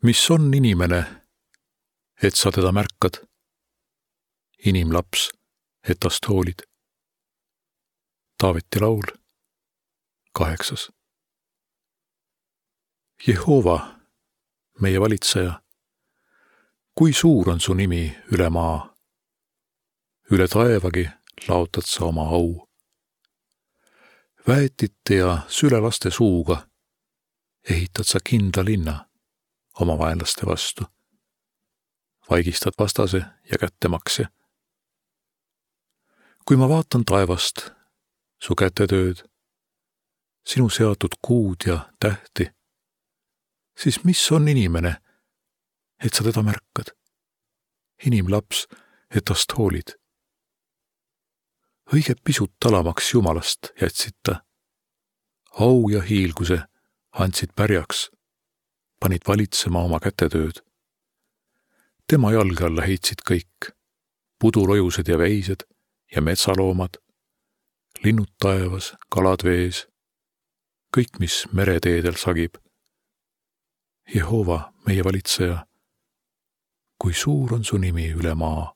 Mis on inimene, et sa teda märkad? Inimlaps, et tast hoolid. Taaveti laul, 8. Jehova, meie valitseja, kui suur on su nimi üle maa? Üle taevagi laotad sa oma au. Väetite ja sülelaste suuga ehitad sa kindla linna oma vaenlaste vastu. Vaigistad vastase ja kättemaksja. Kui ma vaatan taevast, su kätetööd, sinu seatud kuud ja tähti, siis mis on inimene, et sa teda märkad? Inimlaps, et tast hoolid. Õige pisut talamaks Jumalast jätsid ta. Au ja hiilguse andsid pärjaks, panid valitsema oma kätetööd. Tema jalge alla heitsid kõik, pudulojused ja veised ja metsaloomad, linnud taevas, kalad vees, kõik, mis mereteedel sagib. Jehova, meie valitseja, kui suur on su nimi üle maa.